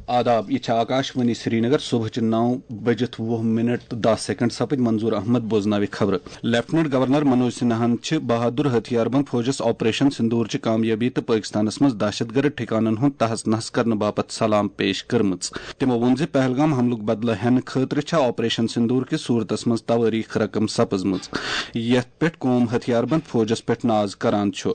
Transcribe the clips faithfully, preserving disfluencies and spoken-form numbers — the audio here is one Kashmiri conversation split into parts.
آداب، یہِ چھِ آکاش وانی سرینگر۔ صبحٕچہِ نَو بٔجِتھ وُہ منٹ تہٕ دَہ سیکنڈ سپٕدۍ۔ منظور احمد بوزناوِ خبرٕ۔ لیفٹیننٹ گورنر منوج سنہاہن چھِ بہادر ہتھیار بند فوجس آپریشن سندور چہِ کامیٲبی تہٕ پٲکستانس منٛز دہشت گرد ٹھکانن ہُنٛد تہس نہس کرنہٕ باپتھ سلام پیش کٔرمٕژ۔ تِمو ووٚن زِ پہلگام حملُک بدلہٕ ہٮ۪نہٕ خٲطرٕ چھےٚ آپریشن سندور کہِ صورتس منٛز توٲریخ رقم سپٕزمٕژ، یتھ پٮ۪ٹھ قوم ہتھیار بند فوجس پٮ۪ٹھ ناز کران چھُ۔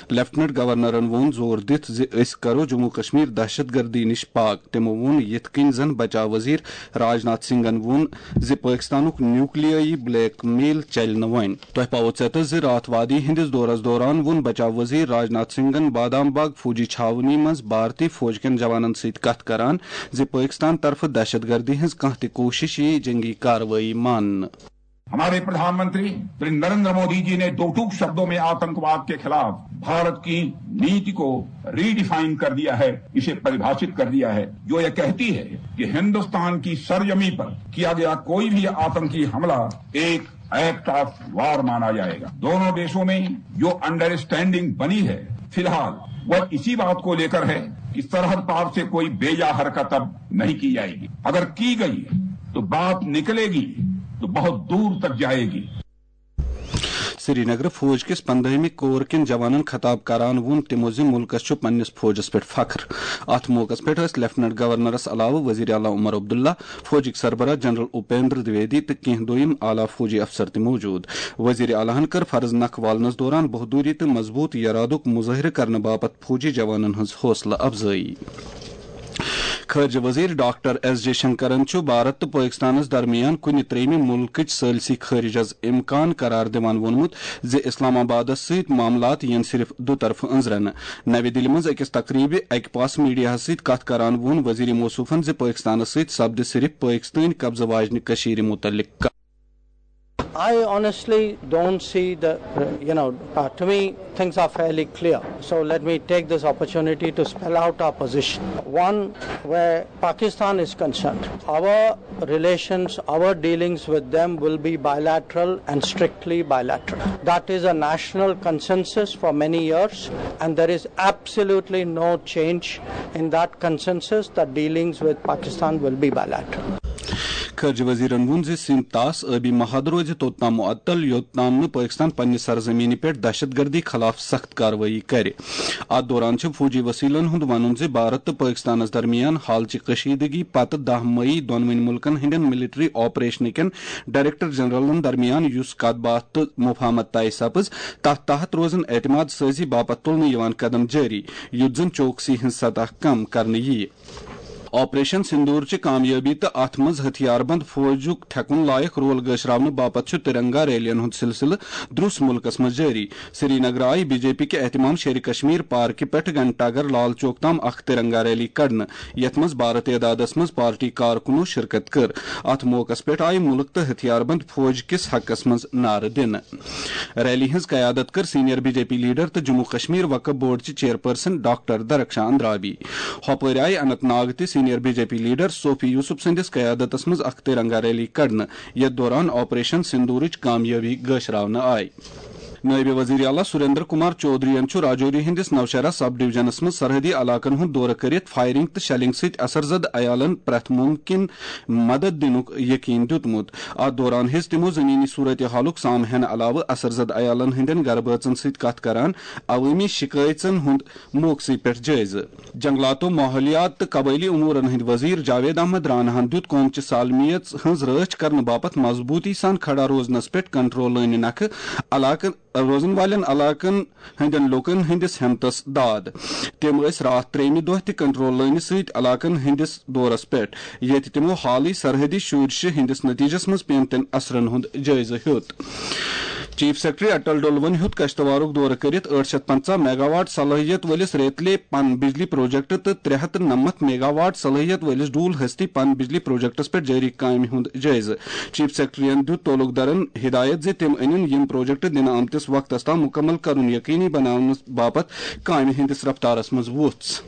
لیفٹیننٹ گورنرن ووٚن زور دِتھ زِ أسۍ کرو جموں کشمیر دہشت گردی نِش پاک۔ تِمو ووٚن، یِتھ کٔنۍ زن بچاو وزیر راج ناتھ سنگھن ووٚن زِ پٲکستانُک نیوکلیائی بلیک میل چلہِ نہٕ وۄنۍ۔ تۄہہِ پاوو ژیتس زِ راتھ وادی ہٕنٛدِس دورس دوران ووٚن بچاو وزیر راج ناتھ سنگھن بادام باغ فوجی چھاونی منٛز بھارتی فوج کٮ۪ن جوانن سۭتۍ کتھ کران زِ پٲکستان طرفہٕ دہشت گردی ہٕنٛز کانٛہہ تہِ کوٗشش یِیہِ جنگی کاروٲیی ماننہٕ۔ हमारे प्रधानमंत्री श्री नरेंद्र मोदी जी ने दो टूक शब्दों में आतंकवाद के खिलाफ भारत की नीति को रीडिफाइन कर दिया है, इसे परिभाषित कर दिया है, जो यह कहती है कि हिंदुस्तान की सरजमी पर किया गया कोई भी आतंकी हमला एक एक्ट ऑफ वार माना जाएगा। दोनों देशों में जो अंडरस्टैंडिंग बनी है, फिलहाल वह इसी बात को लेकर है कि सरहद पार से कोई बेजा हरकत अब नहीं की जाएगी। अगर की गई है तो बात निकलेगी तो बहुत दूर तक जाएगी। سرینگر۔ فوج کِس پندہمہِ کور کٮ۪ن جوانن خطاب کران ووٚن تِمو زِ مُلکس چھُ پننِس فوجس پٮ۪ٹھ فخر۔ اتھ موقعس پٮ۪ٹھ ٲسۍ لیفٹیننٹ گورنرس علاوٕ وزیر اعلیٰ عمر عبداللہ، فوجٕکۍ سربراہ جنرل اپیندر دویدی تہٕ کینٛہہ دوٚیِم اعلیٰ فوجی افسر تہِ موجود۔ وزیر اعلیٰ ہن کٔر فرض نکھٕ والنس دوران بہادری تہٕ مضبوط ارادُک مظٲہرٕ کرنہٕ باپتھ فوجی جوانن ہٕنٛز حوصلہٕ افزٲیی۔ خارجہ وزیر ڈاکٹر ایس جے شنکرن چھُ بھارت تہٕ پٲکستانس درمیان کُنہِ ترٛیٚیمہِ مُلکٕچ ثٲلثی خٲرجس امکان قرار دِوان ووٚنمُت زِ اسلام آبادس سۭتۍ معاملات یِن صرف دُطرفہٕ أنٛزرنہٕ۔ نَوِ دِلہِ منٛز أکِس تقریبہِ اکہِ پاس میڈیاہس سۭتۍ کتھ کران ووٚن وزیر موصوفن زِ پٲکستانس سۭتۍ سپدِ صرف پٲکستٲنۍ قبضہٕ واجنہِ کٔشیٖرِ مُتعلق کتھ۔ I honestly don't see the, you know, uh, to me, things are fairly clear. So let me take this opportunity to spell out our position. One, where Pakistan is concerned, our relations, our dealings with them will be bilateral and strictly bilateral. That is a national consensus for many years, and there is absolutely no change in that consensus that dealings with Pakistan will be bilateral. خارجہ وزیرن ووٚن زِ سندھ طاس آبی محاذ روزِ توٚت تام معطل، یوٚت تام نہٕ پٲکستان پننہِ سرزمینہِ پٮ۪ٹھ دہشت گردی خلاف سخت کاروٲیی کرِ۔ اتھ دوران چھُ فوجی وسیلن ہُنٛد ونُن زِ بھارت تہٕ پٲکستانس درمیان حالچہِ کشیدگی پتہٕ دَہ مئی دۄنوٕنۍ مُلکن ہٕنٛدٮ۪ن ملٹری آپریشنہٕ کٮ۪ن ڈائریکٹر جنرلن درمیان یُس کتھ باتھ تہٕ مفاہمت طے سپٕز، تتھ تحت روزن اعتماد سازی باپتھ تُلنہٕ یِوان قدم جٲری، یُتھ زن چوکسی ہٕنٛز سطح کم کرنہٕ یِیہِ۔ آپریشن سندور چہِ کامیٲبی تہٕ اتھ منٛز ہتھیار بند فوجُک ٹھیکُن لایق رول گٲشراونہٕ باپتھ چھُ ترنگا ریلین ہُنٛد سلسلہٕ درٛس مُلکس منٛز جٲری۔ سرینگر آیہِ بی جے پی کہِ اہتمام شیرِ کشمیر پارکہِ پٮ۪ٹھ گھنٹہ گھر لال چوک تام اکھ ترنگا ریلی کڑنہٕ، یتھ منٛز بھارٕ تعدادس منٛز پارٹی کارکنو شرکت کٔر۔ اتھ موقعس پٮ۪ٹھ آیہِ مُلک تہٕ ہتھیار بند فوج کِس حقس منٛز نعرٕ دِنہٕ۔ ریلی ہٕنٛز قیادت کٔر senior B J P leader تہٕ جموں کشمیر وقف بورڈ چہِ چیئرپرسن ڈاکٹر درخشان اندرابی۔ ہۄپٲرۍ آیہِ اننت ناگ تہِ senior B J P leader Sufi Yousuf سٕنٛدِس قیادتس منٛز اکھ ترنگا ریلی کڑنہٕ، یتھ دوران آپریشن سندورٕچ کامیٲبی گٲشراونہٕ آیہِ۔ نٲیِب وزیر اعلیٰ سریندر کمار چودھرین چھُ راجوری ہٕنٛدِس نوشہرہ سب ڈویژنس منٛز سرحدی علاقن ہُنٛد دورٕ کٔرِتھ فائرنگ تہٕ شیلنگ سۭتۍ اثر زد عیالن پرٛٮ۪تھ مُمکِن مدد دِنُک یقین دیُتمُت۔ اتھ دوران ہیٚژ تِمو زمینی صورتحالُک سامہٕ ہینہٕ علاوٕ اثر زد عیالن ہٕنٛدٮ۪ن گرٕ بٲژن سۭتۍ کتھ کران عوٲمی شکایژن ہُنٛد موقعسٕے پٮ۪ٹھ جٲیزٕ۔ جنگلاتو، ماحولیات تہٕ قبٲئلی امورن ہٕنٛدۍ وزیر جاوید احمد راناہن دیُت قوم چہِ سالمیت ہٕنٛز رٲچھ کرنہٕ باپتھ مضبوٗطی سان کھڑا روزنس پٮ۪ٹھ کنٹرول لٲنہِ نکھٕ علاقن، روزن والٮ۪ن علاقن ہٕنٛدٮ۪ن لوٗکن ہٕنٛدِس ہمتس داد۔ تِم ٲسۍ راتھ ترٛیٚیمہِ دۄہ تہِ کنٹرول لٲنہِ سۭتۍ علاقن ہٕنٛدِس دورس پٮ۪ٹھ، ییٚتہِ تِمو حالٕے سرحدی شورشہِ ہٕنٛدِس نتیجس منٛز پیمتٮ۪ن اثرن ہُنٛد جٲیزٕ ہیوٚت۔ چیف سیکرٹری اٹل ڈولون ہیوٚت کشتوارُک دورٕ کٔرِتھ ٲٹھ شیٚتھ پنژاہ میگا واٹ صلٲحیت وٲلِس ریتلے پن بجلی پروجیکٹ تہٕ ترٛےٚ ہتھ تہٕ نَمَتھ میگا واٹ صلٲحیت وٲلِس ڈول ہستی پن بجلی پروجیکٹس پٮ۪ٹھ جٲری کامہِ ہُنٛد جٲیزٕ۔ چیف سیکرٹریَن دیُت تعلقدارن ہدایت زِ تِم أنِن یِم پروجیکٹ دِنہٕ آمتِس وقتس تام مُکمل کرُن یقینی بناونہٕ باپتھ کامہِ ہٕنٛدِس رفتارس منٛز وُژھ۔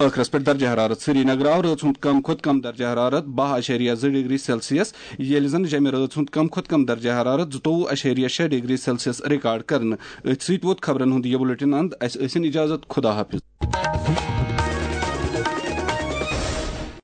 ٲخرس پٮ۪ٹھ درجہ حرارت۔ سری نگر آو رٲژ ہُنٛد کم کھۄتہٕ کم درجہ حرارت باہ اَشیریہ زٕ ڈگری سیلسیس، ییٚلہِ زن جمہِ رٲژ ہُنٛد کم کھۄتہٕ کم درجہ حرارت زٕتووُہ اَشیریہ شےٚ ڈگری سیلسیس ریکارڈ کرنہٕ۔ أتھۍ سۭتۍ ووت خبرن ہُنٛد یہِ بُلٹن اند۔ اسہِ ٲسِن اجازت، خدا حافظ۔